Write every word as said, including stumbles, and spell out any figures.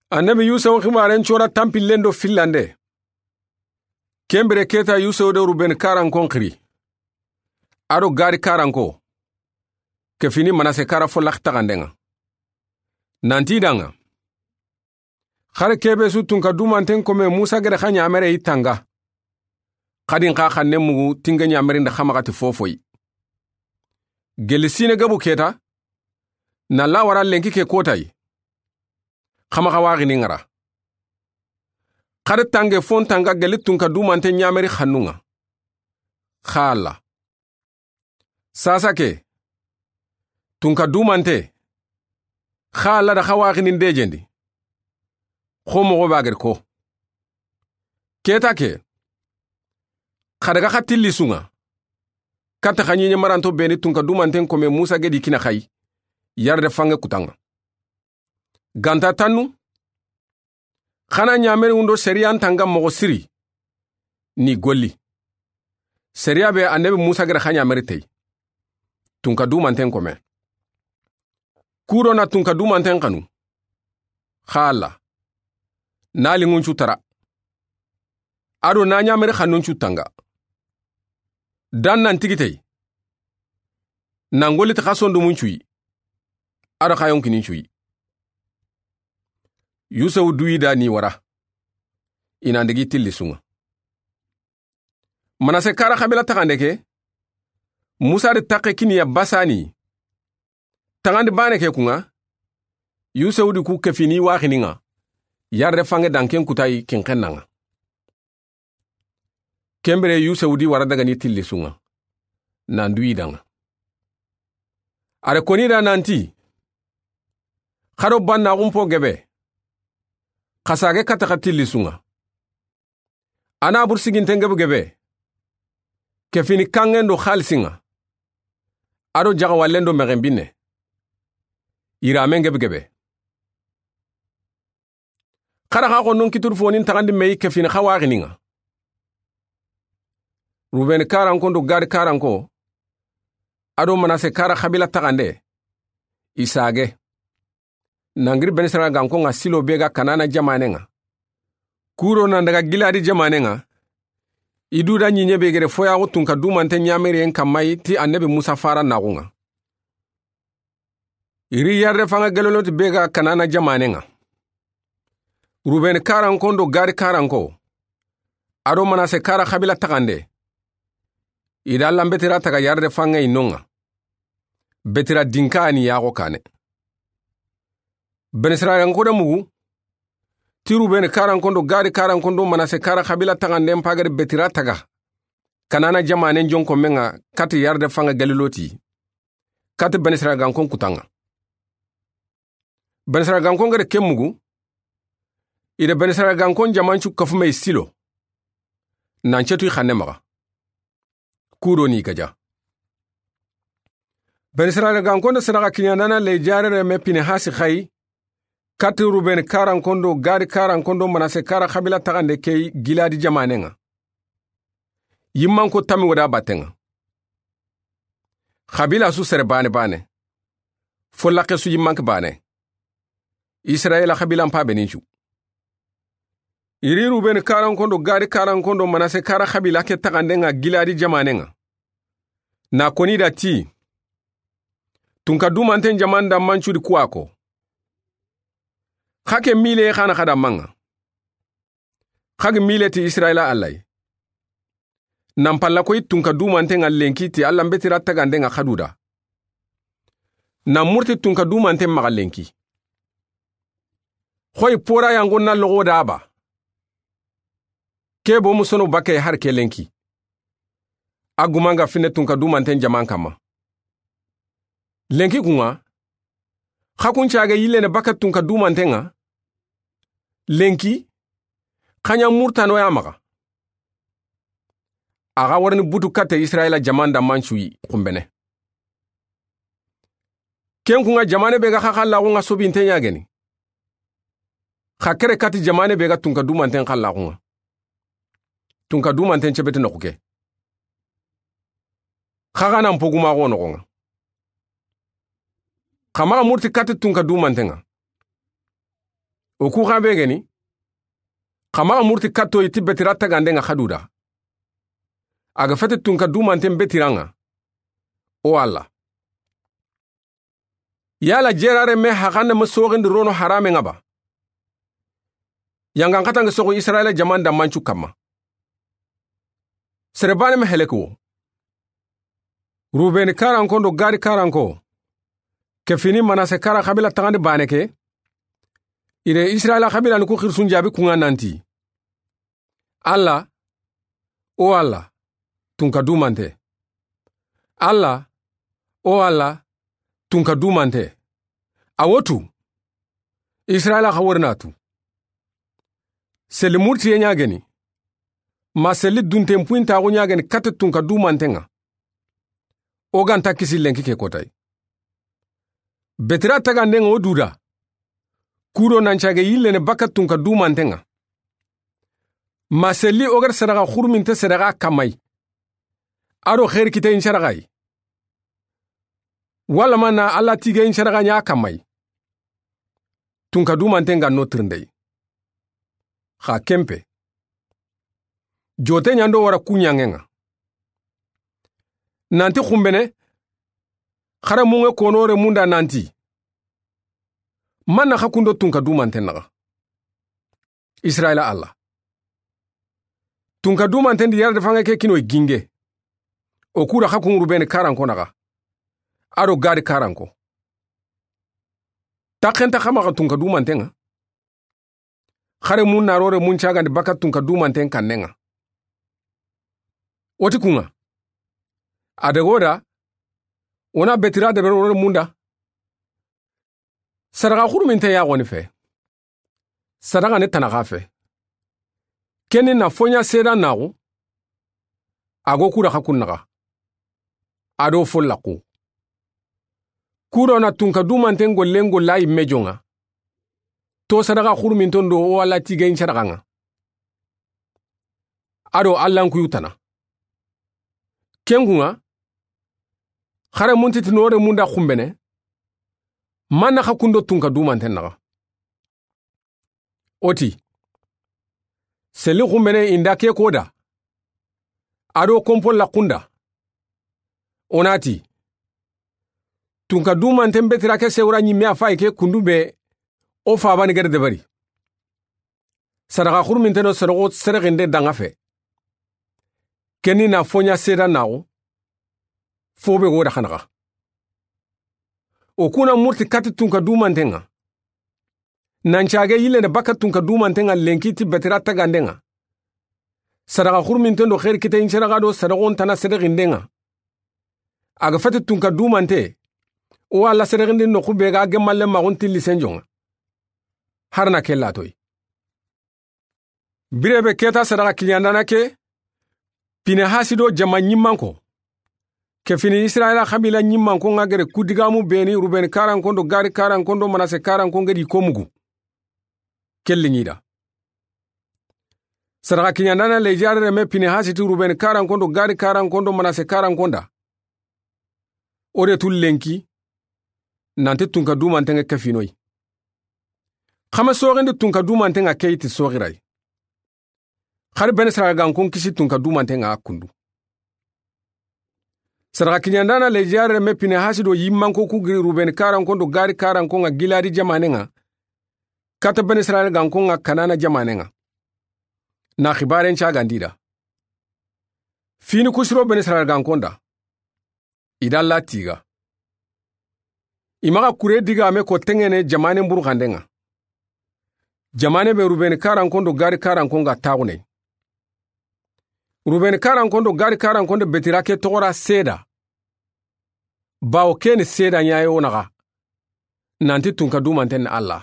Annabi Yusufu xibaaren cora tanpillen do fillande. Ken bire keta Yusufu do Ruben karankon xiri, a do Gadi karanko, ke fini Manase kara fo laxi taxanden ŋa. Nanti i da ŋa. Xari kebe su tunka dumanten kome Musa gede xa ɲamere i tanga. Xadin xa xanne mugu tinge ɲamerinde xa maxa ti fofoyi. Geli sine gebu keta, na lawara lenki ke kotayi. Xa maxa waxini ŋara. Xari tange fon tanga geli tunka dumante ɲameri xannun ŋa. Xa Alla. Sasa ke. Tunka dumante. Xa Alla da xa waxini ndejendi. Xo moxo bageri ko. Keta ke. Xa daga xa tilli su ŋa. Katta xa ɲiɲe maranto beni tunka dumanten kome Musa gedi kina xayi. Yarde fange kutanga. Ganta tannu. Xana ɲameri wundo seriyan tanga moxo siri. Ni golli. Seriya be annabi Musa gede xa ɲameri tey. Tunka dumanten kome. Kuro na tunka dumanten xanu. Xa Alla. Na linŋun cu tara. A do na ɲameri xannun cu tanga. Dan nan tigitey. Nan golli ti xa sondumun cuyi. A do xa yonkinin cuyi. Yusufu duyi da ni wara. I nan digi tilli su ŋa. Manase kara xabila taxande ke. Musa di taxe kiniya basani. Taxandi bane ke kun ŋa. Yusufu di ku ke fini waxini ŋa. Yarde fange danken kutayi kinxen na ŋa. Ken bire Yusufu di wara daga ni tilli su ŋa. Nan duyi da ŋa. A re koni da nanti. Xa do banna xumpo gebe. Xa sage katta xa tilli su ŋa. A na bur siginten gebe gebe. Ke fini kangen do xalisi ŋa. A do jaxawallen do mexen binne. Yiramen gebe gebe. Xara xa xo non kituru fonin taxandi meyi ke fini xa waxini ŋa. Ruben karanko do Gadi karanko. A do Manase kara xabila taxande. I sage. Nangiri Benisaragankon ŋa Silo be ga Kanana jamanen ŋa. Kuro nan daga Giladi jamanen ŋa. I du da ɲiɲe be gede foyaxu tunka dumante ɲameriyen kammayi ti annabi Musa fara naxun ŋa. I ri yarde fanga geloloti be ga Kanana jamanen ŋa. Ruben karankon do Gadi karanko. A do Manase kara xabila taxande. I da lambetira taga yarde fanga i non ŋa. Betira dinka ni yaxo kane. Benisaragankon da mugu. Ti Ruben karankon do Gadi karankon do Manase kara xabila taxanden pagari betira taga. Kanana jamanen jonko menga kati yarde fanga geliloti. Kati Benisaragankon kutanga. Benisaragankon gede ke mugu. I da Benisaragankon jamancu kafume i Silo. Nan cetu i xanne maxa. Kudo ni gaja. Benisaragankon da sadaxa kiɲandana le jarere me Pinehasi xayi. Kati Ruben karankon do Gadi karankon do Manase kara xabila taxande ke Giladi jamanen ŋa. Yimmanko tami wada batten ŋa. Xabila su sere bane bane. Fo laxe su yimmanke bane. Israila xabilan pa benincu. I ri Ruben karankon do Gadi karankon do Manase kara xabila ke taxanden ŋa Giladi jamanen ŋa. Na koni da ti. Tunka dumanten jaman da mancu di kuwa ko. Xa ke mile xana xada manga. Xa gi mile ti Israila Alla yi. Nan palla koy tunka dumanten ŋa lenki ti Alla mbetira taxanden ŋa xaduda. Nan murti tunka dumanten maxa lenki. Xoy pora yango na loxo da ba. Ke bo musono bakke har ke lenki. A gumanga fine tunka dumanten jaman kamma. Lenki kun ŋa. Xa kun cage yillene bakke tunka dumanten ŋa. Lenki. Xa ɲa murtano ya maxa. A xa warini butu katte Israila jaman da mancu yi xumbene. Ken kun ŋa jamane be ga xa xallaxun ŋa sobinten ɲageni. Xa kere kati jamane be ga tunka dumanten xallaxun ŋa. Tunka dumanten cebete noxu ke. Xa xa nan pogumaxo noxon ŋa. Xa maxa murti kati tunka dumanten ŋa. O ku xa be ga ni, xa maxa murti katto yi ti betira taganden ŋa xa du da. A ga feti tunka dumanten betiran ŋa. O Alla. Yala jerare me haxande ma soxindi rono harame ŋa ba? Yangan xatange soxu Israila jaman da mancu kamma. Sere bane ma heleke wo. Rubeni karanko ndo Gadi karanko, ke fini Manase kara xabila taxandi bane ke. Ire Israila xabila ni ku xirsun jabi kunga nanti: Alla, o Alla, tunka dumante. Alla, o Alla, tunka dumante. A wo tu. Israila xa wori na tu. Seli murtiye ɲageni. Ma seli dunten puintaxu ɲageni kate tunka dumanten ŋa. O ganta kisi lenki ke kotay. Betira taganden ŋa o duda. Kudo nan cage yillene baka tunka dumanten ŋa. Ma seli o gar sadaxa xuruminte sadaxa kamay. Ado xeri kitayin sadaxay. Wala ma na Alla tigayin sadaxa ɲa kamay. Tunka dumanten ga no tirindey. Xa kempe. Jote ɲando wara kuɲangen ŋa. Nanti xumbene, xare munŋe konore munda nanti: Manna xa kundo tunka dumanten naxa? Israila Alla. Tunka dumanten di yara defange ke kinoy ginge. O kuda xa kun Rubeni karanko naxa. Ado Gadi karanko. Taxenta xa maxa tunka dumanten ŋa. Xare mun narore mun cagandi baka tunka dumanten kannen ŋa. O ti kun ŋa. A daga o da. O na betira debe rore munda. Sadaxa xuruminte yaxoni fe. Sadaxa ni tanaxa fe. Keni na foɲa seda naxu. A go kuda xa kun naxa. Ado follaxu. Kudo na tunka dumanten gollen golla yimme jonŋa. To sadaxa xuruminton do o Alla tigayin sadaxa ŋa. Ado Allan kuyu tana. Ken kun ŋa. Xare munti ti nore munda xumbene. Manna xa kundo tunka dumanten naxa? O ti: Seli xumbene inda ke koda. Ado kompo laxunda. O na ti: Tunka dumanten betira ke sewra ɲimme a fay ke kundu be. O fabani gere debari. Sadaxa xuruminte do sadaxo sadaxinde danga fe. Keni na foɲa seda naxu. Fobe go da xanaxa. O kuna murti kati tunka dumanten ŋa. Nan cage yillene baka tunka dumanten ŋa lenki ti betira taganden ŋa. Sadaxa xuruminten do xeri kitayin sadaxa do sadaxon tana sadaxinden ŋa. A ga feti tunka dumante. O Alla sadaxindi noxu be ga gemalle maxun tilli senjonŋa. Harna ke latoy. Birebe keta sadaxa kiɲandana ke. Pinehasi do jama ɲimmanko. Ke fini Israila xabila ɲimmanko ŋa gere kudigamu beni Rubeni karanko ndo Gadi karanko ndo Manase karanko ngedi ko mugu. Kelli ɲida. Sadaxa kiɲandana lejare reme Pinehasi ti Rubeni karanko ndo Gadi karanko ndo Manase karanko nda. O de tu lenki. Nanti tunka dumanten ŋa ke finoy. Xame soxindi tunka dumanten ŋa keyi ti soxiray. Xari bene saraga gankon kisi tunka dumanten ŋa kundu. Sadaxa kiɲandana lejare me Pinehasi do yimmanko ku giri Rubeni karankon do Gadi karankon ŋa Giladi jamanen ŋa. Kata bene saraga gankon ŋa Kanana jamanen ŋa. Na xibaren cagandi da. Fini kusiro bene saraga gankon da. I da Alla tiga. I maxa kure digame ko tengene jamanen burxanden ŋa. Jamane be Rubeni karankon do Gadi karankon ga taxuney. Rubeni karankon do Gadi karankon do betira ke toxora seda. Bawo keni seda ɲaye wo naxa. Nanti tunka dumanten ni Alla.